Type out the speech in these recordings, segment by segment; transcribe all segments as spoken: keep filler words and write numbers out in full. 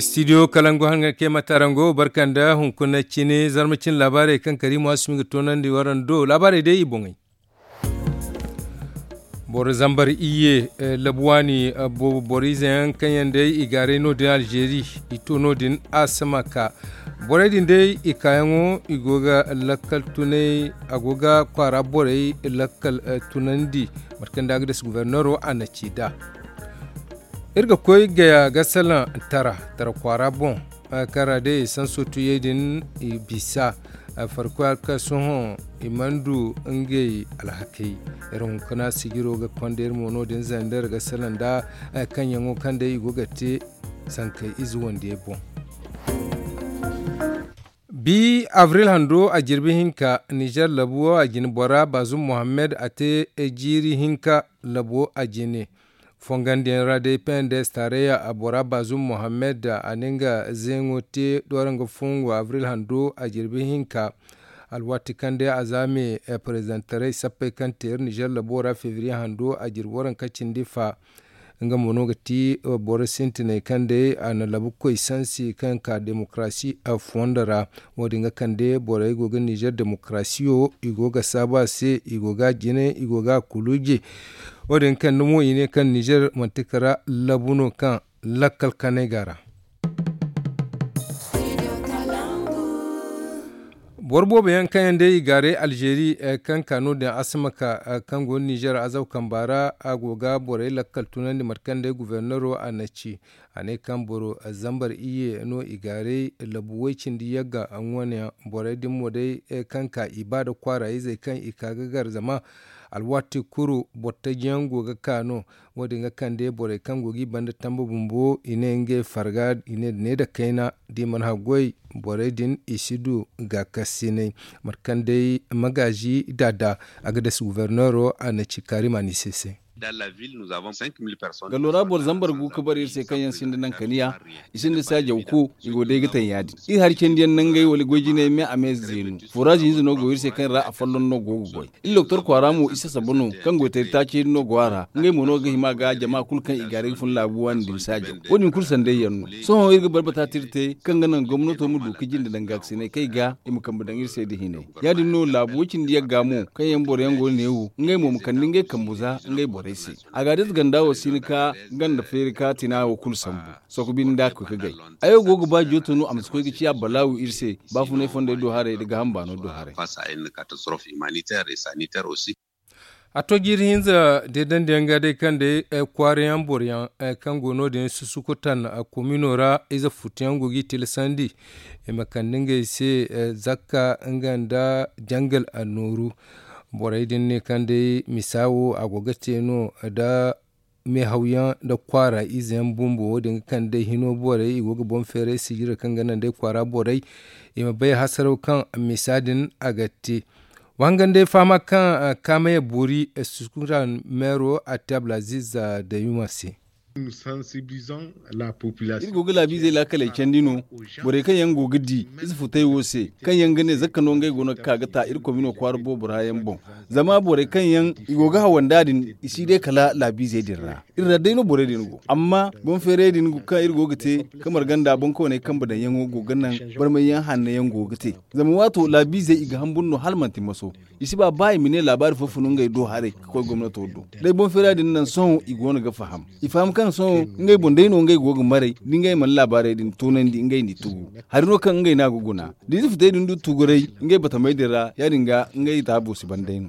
Studio kalangu hangan kay matarango barkanda hunkuna cine zarma cine laabaarey kaŋ kariimo asumi ga toonandi warando laabaarey day i boŋey. Boro zambar iyye labu waani boobo boro ize yaŋ kaŋ yaŋ day i gaaray no- din alzeeri i to no- din asamaka. Borey din day i kaayaŋo i go ga lakkal tunay a go ga kwaara borey lakkal tunandi. Mate kaŋ day a ga dasa guberneero a na ci nd'a. Iri ga koy gaya ga salaŋ tara tara kwaara boŋ. Kaŋ ra day i sanso tuyey din i bisa farkoy hari kaŋ sohõ i mana du ngey alhakey. Iri hunkuna sijiro ga konda iri mo no- din zanda iri ga salaŋ nda kaŋ yaŋo kaŋ day i go ga te sankey ize wandiyey boŋ. Bi abril hando a jirbi hinka nizer labu wo a jine bora bazum mohammed a te jiiri hinka labo a jine. Fongandiyaŋ ra day pnds taarayya a bora bazum mohammed a na nga zeeŋo te doora nga fongo abril hando a jirbi hinka. Alwaati kaŋ day a za me perezidantarey sappey kaŋ te iri nizer labo ra febriye hando a jirbi waranka cindi fa. Nga mo no ga ti boro sintinay kaŋ day a na labukoy sansi kaŋ ka demokarasi fondo ra. Wo- din ga kande borey go ga nizer demokarasiyo i go ga saabu a se i go ga a jine i go ga a kuluuje. Wo- din ga kande mo i ne kaŋ nizer manti kala labu no kaŋ lakkal kanay go a ra. Boro boobo yaŋ kaŋ yaŋ day i gaaray alzeeri kaŋ ka no- din asamaka kaŋ go no nizer azaw kamba ra a go ga borey lakkal tunandi mate kaŋ day guberneero a na ci. A ne kaŋ boro zambar iyye no i gaaray labu way- cindi yagga ŋwaneyaŋ borey din mo day kaŋ ka i ba nda kwaara izey kaŋ i ka ga gar zama alwaati kulu boro taji yaŋ go ga ka no. Wo- din ga kande borey kaŋ go ga i banda tamba bumbo i ne ngey farga i ne da ne da kayna da i mana haggoy borey din i si du gaakasinay. Mate kaŋ day magaazi daada a ga dasa guberneero a na ci kaarima ni se se. Gallo ra boro zambar gu ga bare iri se kaŋ yaŋ sinda naŋ kaniya i sinda saajaw ko i go day ga taŋ ya- din iri hari candiyaŋ nangey wala goy jinay me a me zeenu foraazi hinza no go iri se kaŋ ra afolloŋ no go ga goy. Iri doktor kwaara mo isa saba no kaŋ goytaray taaci no go a ra ngey mo no ga hima ga jama kulu kaŋ i gaaray ga fun laabu waani din saajaw. Wo- din kulu sanday yaŋ no. Sohõ iri ga barbata te iri te kaŋ ga naŋ gomnato ma du ga jinde daŋ gaakasinay kaŋ i ga i ma kambe daŋ iri se nda hinay. Ya- din no laabu way- cindi yagga mo kaŋ yaŋ boro yaŋ go no neewo ngey mo ma kande ngey kambu za ngey borey se. A ga a day ize ganda wo si hin ka ganda feeri ka tina wo kulu sambu. Soko binde nda a ga koy ga gay. Ay wo go ga ba jooto no a ma si koy ga ciya balaawu iri se baafunay fondey do haray nda gaaham baano do haray. A to jiiri hinza deedandi yaŋ ga day kaŋ day kwaara yaŋ boro yaŋ kaŋ go no- din susukutan komino ra ize futu yaŋ go ga i tilasandi i ma kande ngey se zakka nga nda jangal annooru. Borey din ne kaŋ day misa wo a go ga te no nda meehaw yaŋ nda kwaara ize yaŋ bumbo wo- din ga kande day hino borey i go ga boŋ feeray sijira kaŋ ga naŋ day kwaara borey i ma bay hasaraw kaŋ misa din a ga te. Wa hangan day fahama kaŋ kaamaya boori sukuran meero a te abdulaziz dayuma se. Iri go ga laabiizey laakaley candi no borey kaŋ yaŋ go ga di ize futay wo se kaŋ yaŋ ga ne zakka no ngey go no ga ka ga ta iri komino kwaara boobo ra yaŋ boŋ. Zama borey kaŋ yaŋ i go ga hawanda din i si day kala laabiizey din ra iri ra day no borey din go amma boŋ feeray din kaŋ iri go ga te kamar ganda boŋkooney kambe daŋ yaŋo go ga naŋ barmay yaŋ hanno yaŋ go ga te. Zama waato laabiizey i ga hambur no hala manti maso. I si ba ba i ma ne laabaari fo fun ngey do haray ga koy gomnato do. Day boŋ feera din naŋ sohõ i go no ga faham i faham kaŋ sohõ ngey boŋ day no ngey go ga maray da ngey mana laabaarey din toonandi ngey n'i tugu. Hari no kaŋ ngey no a ga guna da ize futey din du tuguray ngey batamey din ra ya- din ga ngey taabo si ban day no.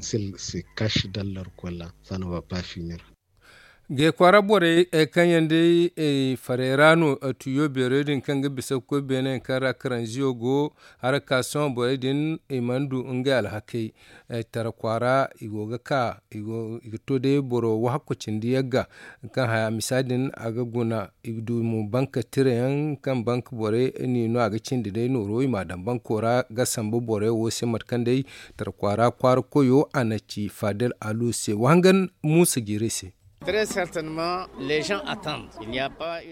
Gay kwaara borey kaŋ yaŋ day faray ra no tuyo beerey din kaŋ ga bisa ga koy beene yaŋ kaŋ ra karanziyo go. Haraka sohõ borey din i mana du ngey alhakey. Tara kwaara i go ga ka i ga to day boro wahakku cindi yagga kaŋ haya misa din a ga guna i ga du mo banka tira yaŋ kaŋ banka borey n'i no a ga cindi day nooro i m'a daŋ banko ra ga sambu borey wo se mate kaŋ day tara kwaara kwaara koyo a na ci fadel alu se wa hangan muusa jiirey se.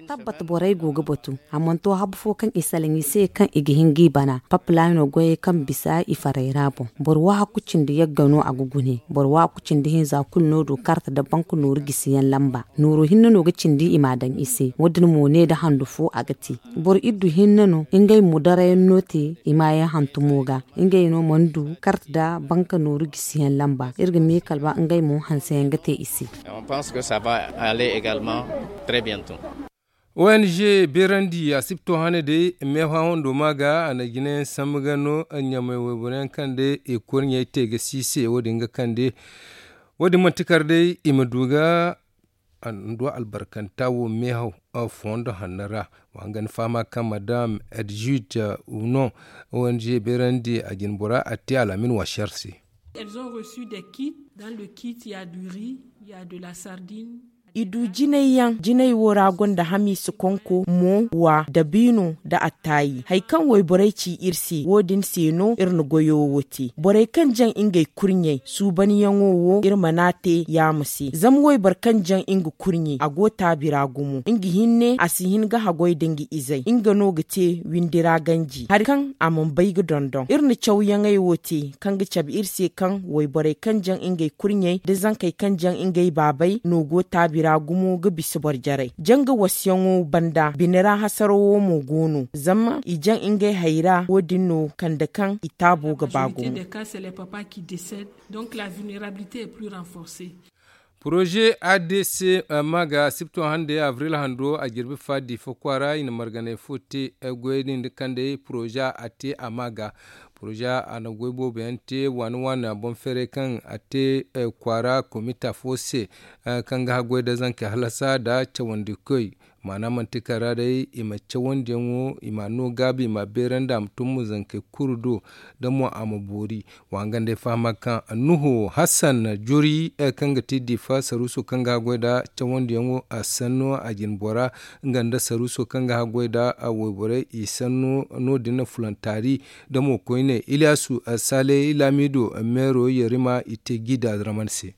Tabbat borey go ga batu a mana to habu fo kaŋ i salaŋ i se kaŋ i ga hin ga i bana papilaano goyey kaŋ bisa i farey ra boŋ. Boro waahaku cindi yagga no a ga gune. Boro waahaku cindi hinza kulu no du karta nda banka nooru gisi yaŋ lamba. Nooru hinne no ga cindi i m'a daŋ i se wo- din mo ne nda handu fo a ga te. Boro iddu hinne no ngey mo darayaŋ no te i maayaŋ hantumo ga. Ngey no mana du karta nda banka nooru gisi yaŋ lamba iri ga me kala ba ngey mo hanse yaŋ ga te i se. O n g beerandi a si ga to hane day meehaw hando ma ga a na jinayaŋ sambu ga no ɲamay wayboro yaŋ kaŋ day i kurɲey te ga si se wo- din ga kande. Wo- din manti kar day i ma du ga hando albarkanta wo meehaw fondo hanno ra. Wa nga ni fahama kaŋ madam edjud uno o n g beerandi a jinbora a te al'amin washar se. Elles ont reçu des kits. Dans le kit il y a du riz, il y a de la sardine. I du jinay yaŋ jinay wo ra gonda hamiisa konko mo wa dabiino nda attaayi hari kaŋ wayborey ci iri se wo- din se no iri na goyo wo te borey kaŋ jaŋ ngey kurɲey suubanyaŋo wo iri mana te yaama se zama wayboro kaŋ jaŋ nga kurɲe a go taabi ra gumo nga hinne a si hin ga haggoy nda nga izey nga no ga te windi ra ganji hari kaŋ a mana bay ga dondon iri na cawyaŋey wo te kaŋ ga cabe iri se kaŋ wayborey kaŋ jaŋ ngey kurɲey nda zankey kaŋ jaŋ ngey baabey no go taabi ra gumo ga bisa boro jarey janga wasayaŋo banda bine ra hasarawo mo go no zama i jaŋ ngey hayra wo- din no kande kaŋ i taabo ga ba gumo. Donc la vulnerabilité est plus renforcée. Poroze adc ma ga sipto hande avril hando a jirbi fa diifa kwaara i na marganay fo te goy din da kande poroze a te a ma ga poroze a na goy boobo yaŋ te waani waani boŋ feeray kaŋ a te kwaara komita fo se kaŋ ga haggoy da zankey halasa nda cawandi koy maana manti kara day i ma cawandiyaŋo i ma a no gaabi i ma a beerandi a ma tun mo zankey kulu do da mo a ma boori. Wa nga nd'ay fahama kaŋ nuhu hassan juri kaŋ ga ti diifa saruuso kaŋ ga haggoy nda cawandiyaŋo a sanno a jinbora nga nda saruuso kaŋ ga haggoy nda wayborey i sanno no- din na fulantaari da mo koyne ilyasu sale laamido meero yerima i te gida raman se.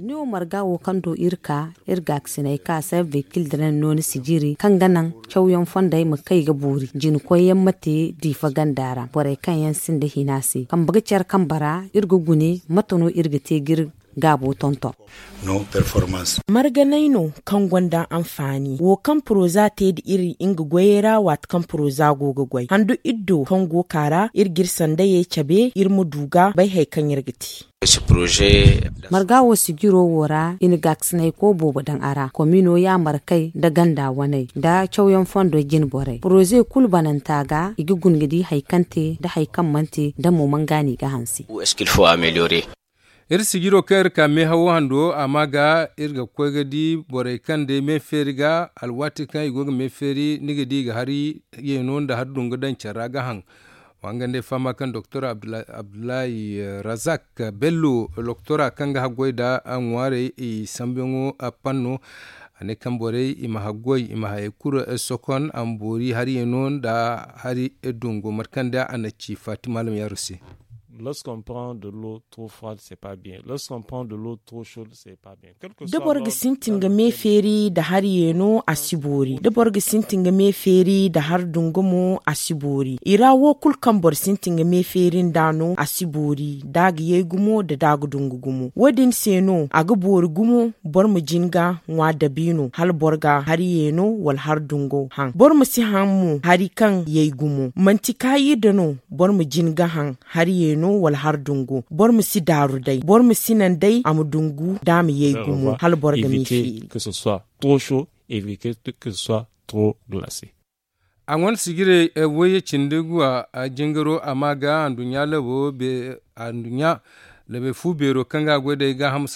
Ni wo marga wo kaŋ do iri ka iri gaakasiney ka se vehikil diraŋ no ni si jiri kaŋ ga naŋ cawyaŋ fondey ma kay ga boori jinkoyyaŋ ma te diifa ganda ra borey kaŋ yaŋ sinda hina se kambe ga care kambe ra iri ga gune mate no iri ga te ga iri gaabo tonton. Marganay no kaŋ gonda anfaani wo kaŋ poroza te nda iri nga goyey ra waati kaŋ poroza go ga goy handu iri do kaŋ go ka ra iri ga iri sandayey cabe iri ma du ga bay hari kaŋ iri ga te. Marga wo sijiro wo ra i na gaakasinay ko boobo daŋ a ra komino yaamarkey nda ganda waney nda cawyaŋ fondo jinborey poroze kulu bananta ga i ga guna ga di hari kaŋ te nda hari kaŋ mana te da mo mana gaani ga hanse. Iri sijiro kaŋ iri ka meehawo hando a ma ga iri ga koy ga di borey kaŋ day me feeri ga alwaati kaŋ i go ga me feeri ni ga di i ga hari yeeno nda hari dungu daŋ care ra ga haŋ. Wa nga nd'ay fahama kaŋ doktor abdullahi razak bello loktora kaŋ ga haggoy nda ŋwaarey i sambuyaŋo panno a ne kaŋ borey i ma haggoy i ma hayey kulu sokon a ma boori hari yeeno nda hari dungo mate kaŋ day a na ci fatima alam yaaru se. Lorsqu'on prend de l'eau trop froide c'est pas bien. Lorsqu'on prend de l'eau trop chaude c'est pas bien. Da boro ga sintin ga me feeri nda hari yeeno a si boori da boro ga sintin ga me feeri nda hari dungu mo a si boori i ra wo kulu kaŋ boro sintin ga me feeri nd'a no a si boori da a ga yay gumo nda da a ga dungu gumo wo- din se no a ga boori gumo boro ma jin ga ŋwa dabiino hala boro ga hari yeeno wala hari dungo haŋ boro ma si haŋ mo hari kaŋ yay gumo manti kaayi nda no boro ma jin ga haŋ hari yeeno wala hari dungo boro ma si daaru day boro ma si naŋ day a ma dungu da a ma yay gumo hala boro ga me feeri. Trop chaud et que ce soit trop glacé. A ŋwanda sijirey wayye cindi guwa jingaro a ma ga anduɲɲa labo anduɲɲa labey fu beero kaŋ ga a goy day gaaham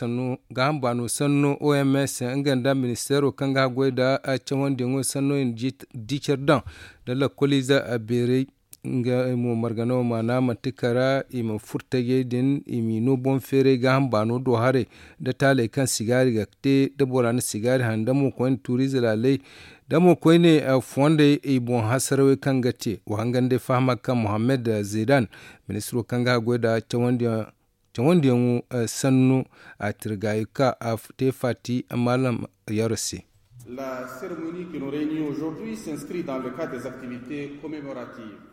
baano sanno oms nga nda ministeero kaŋ ga a goy nda cawandiyaŋo sanno i na di care daŋ nda lakkoliize beerey. Nga mo margano maana manti kara i ma furtajey din i m'i no boŋ feeray gaaham baano do haray da taaley kaŋ sigaari ga te da bora na sigaari haŋ da mo koyne tuuriize laaley da mo koyne fondey i boŋ hasarawey kaŋ ga te wa hangan day fahama kaŋ mohammed zedan ministiro kaŋ ga a goy nda cawandiyaŋ. cawandiyaŋo sannu. A tirgaayi ka a te faati maalam yaro se. La cérémonie qui nous réunit aujourd'hui s'inscrit dans le cadre des activités commémoratives.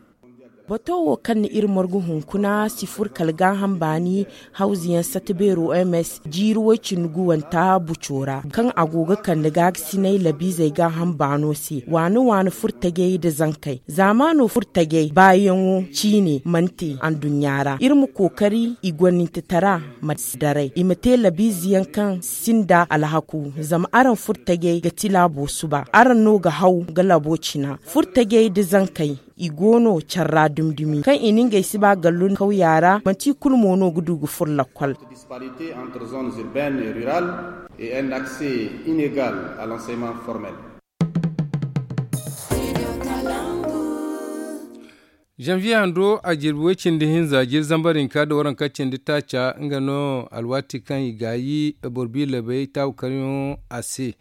Bato wo kaŋ na iri margu hunkuna si furo kala gaaham baani hawzuyaŋ sata beero oms jiiri woy-cindi guwanta buco ra, kaŋ a go ga kande gaagasinay labiizey gaaham baano se waani waani furtajey nda zankey. Zaamaano furtajey baayaŋo ciine mana te anduɲɲa ra. Iri ma kookari i gwanintatara ma si daray i ma te labiizeyaŋ kaŋ sinda alhaku. Zama araŋ furtajey ga ti laabo suba araŋ no ga haw ga labo cina. Furtajey nda zankey i go no care ra dumi-dumi kaŋ i na ngey si ba gallu kawya ra manti i kulu mo no ga du ga furo lakkol. Disparité entre zones urbaines et rurales et un accès inégal à l'enseignement formel. Janvier hando a jirbi way-cindi hinza jiiri zambar hinka nda waranka cindi taaca nga no alwaati kaŋ i gaayi boro biilabey taabu karyaŋo a se.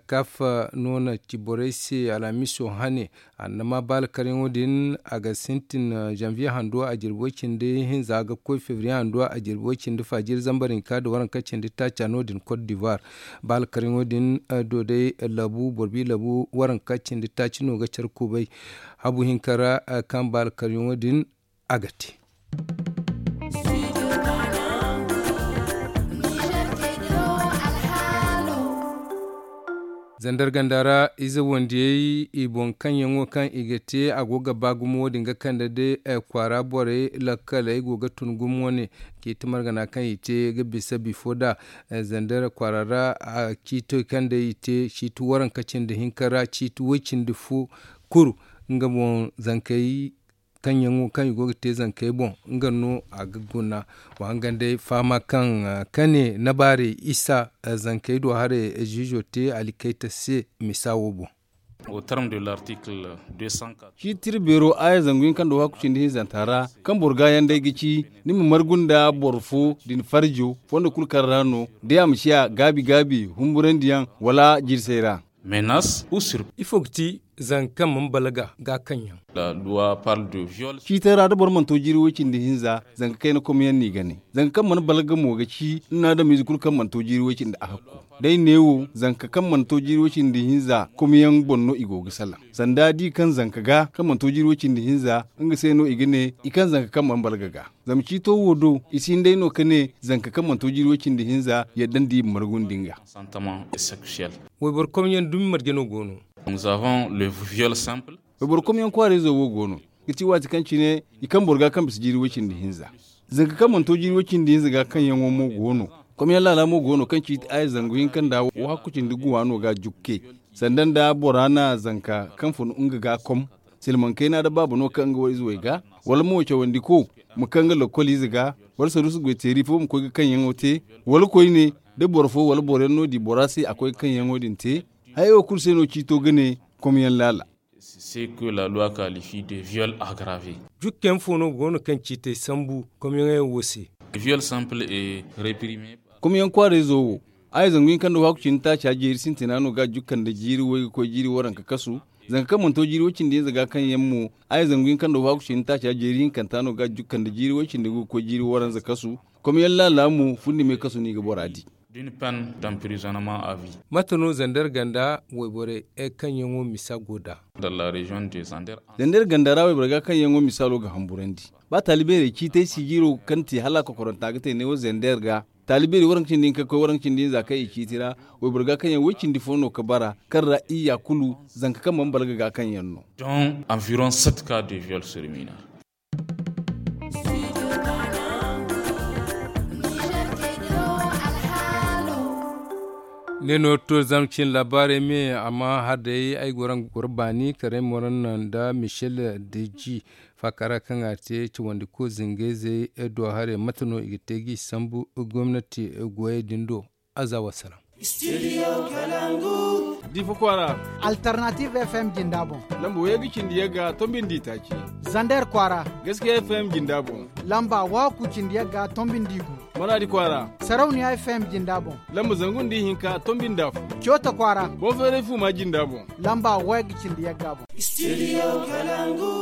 Kafa no na ci borey se alhamiso hane. Annama baala karyaŋo din a ga sintin janvier hando a jirbi way-cindi hinza ga koy février hando a jirbi way-cindi fa jiiri zambar hinka nda waranka cindi taaca no- din côte d'ivoire. Baala karyaŋo din do day labu boro biilabu waranka cindi taaci no ga care kubay. Habu hinka ra kaŋ baala karyaŋo din a ga te. Zandar ganda ra ize wandiyey i boŋ kaŋ yaŋo kaŋ i ga te a go ga ba gumo wo- din ga kande day kwaara borey lakkaley go ga tun gumo wane. Ciiti margana kaŋ i te ga bisa bifo nd'a zandar kwaara ra. Ciito kaŋ day i te ciiti waranka cindi hinka ra ciiti way-cindi fo kuru nga boŋ zankey kaŋ yaŋo kaŋ i go ga te zankey boŋ nga no a ga guna. Wa hangan day fahama kaŋ kane nabaarey isa zankey do haray ziizo te alikayta se misa wo boŋ. Au terme de l'article deux cent quatre. Ciiti iri beero aaya zangu hinka nda wahakku cindi hinzanta ra kaŋ boro gaayaŋ day ga ci ni ma margu nda boro fo din farjo fondo kulu kaŋ ra no day a ma ciya gaabi gaabi humburandiyaŋ wala jirsay ra. Menace ou surprise. Ifo ga ti zanka kaŋ mana balaga ga kaŋ yaŋ. Ciitay ra da boro mana to jiiri way-cindi hinza zanka kayna komyaŋ no i ga ne. Zanka kaŋ mana balaga mo ga ci ni na adamize kulu kaŋ mana to jiiri way-cindi a hakku. Day neewo zanka kaŋ mana to jiiri way-cindi hinza komyaŋ boŋ no i go ga salaŋ. Sanda da i kaŋ zanka ga kaŋ mana to jiiri way-cindi hinza nga se no i ga ne i kaŋ zanka kaŋ mana balaga ga. Zama ciito wo do i si hin day no ka ne zanka kaŋ mana to jiiri way-cindi hinza yadda nda i ma margu nda nga. Wayboro komyaŋ dumi marje no go no. Wayboro komyaŋ kwaarayzo wo go no ga ti waati kaŋ cine i kaŋ boro ga kaŋ bisa jiiri way-cindi hinza. Zanka kaŋ mana to jiiri way-cindi hinza ga kaŋ yaŋo mo go no. Komyaŋ laala mo go no kaŋ ciiti aaya zangu hinka nda wahakku cindi guwa no ga jukke. Sanda nda bora na zanka kaŋ fun nga ga kom silmaŋ kayna da baaba no kaŋ nga war ize way ga wala mo cawandi ko ma kaŋ nga lokkol ize ga wala saruusu goy teeri fo ma koy ga kaŋ yaŋo te wala koyne da boro fo wala boro yaŋ no di bora se a koy ga kaŋ yaŋo din te. Hayey wo kulu se no ciito ga ne komyaŋ laala. Jukke yaŋ fo no go no kaŋ ciitey sambu komyaŋey wo se? Komyaŋ kwaarayzo wo aaya zangu hinka nda wahakku cindi taaca jeeri sintina no ga jukka nda jiiri way ga koy jiiri waranka kasu. Zanka kaŋ mana to jiiri way-cindi hinza ga kaŋ yaŋ mo aaya zangu hinka nda wahakku cindi taaca jeeri hinkanta no ga jukka nda jiiri way-cindi ga koy jiiri waranza kasu. Komyaŋ laala mo fundi me kasu no i ga bora di. D'une peine d'emprisonnement à vie. Mate no zander ganda wayborey kaŋ yaŋo misa go nd'a? Zander ganda ra wayborey ga kaŋ yaŋo misaalo ga hamburandi. Ba taalibeerey ciitay si jiiro kaŋ te hala kokoranta ga te neewo zander ga taalibeeri waranka cindi hinka ga koy waranka cindi hinza kaŋ i ciiti ra. Wayboro ga kaŋ yaŋ way-cindi fo no ga bara kaŋ ra iyya kulu zanka kaŋ mana balaga ga kaŋ yaŋ no. Donc environ sept cas de viol sur mineur. Ne no to zama cin labaarey me amma har day ay go raŋ ga goro baani karay moran nda michel deji. Faakara kaŋ a te cawandi ko zingayzey do haray mate no i ga te g'i sambu gomnati goyey din do. Aza wasalaŋ. Difa kwaara. Alternative F M jinda boŋ. Lamba wayga cindi yagga tombin di taaci. Zander kwaara. Gaskiya F M jinda boŋ. Lamba waku cindi yagga tombin di gu. Maradi kwaara. Sarauniya F M jinda boŋ. Lamba zangu ndi hinka tombin da fu. Cota kwaara. Bonferey fuma jinda boŋ. Lamba wayga cindi yagga boŋ. Studio Kalangu.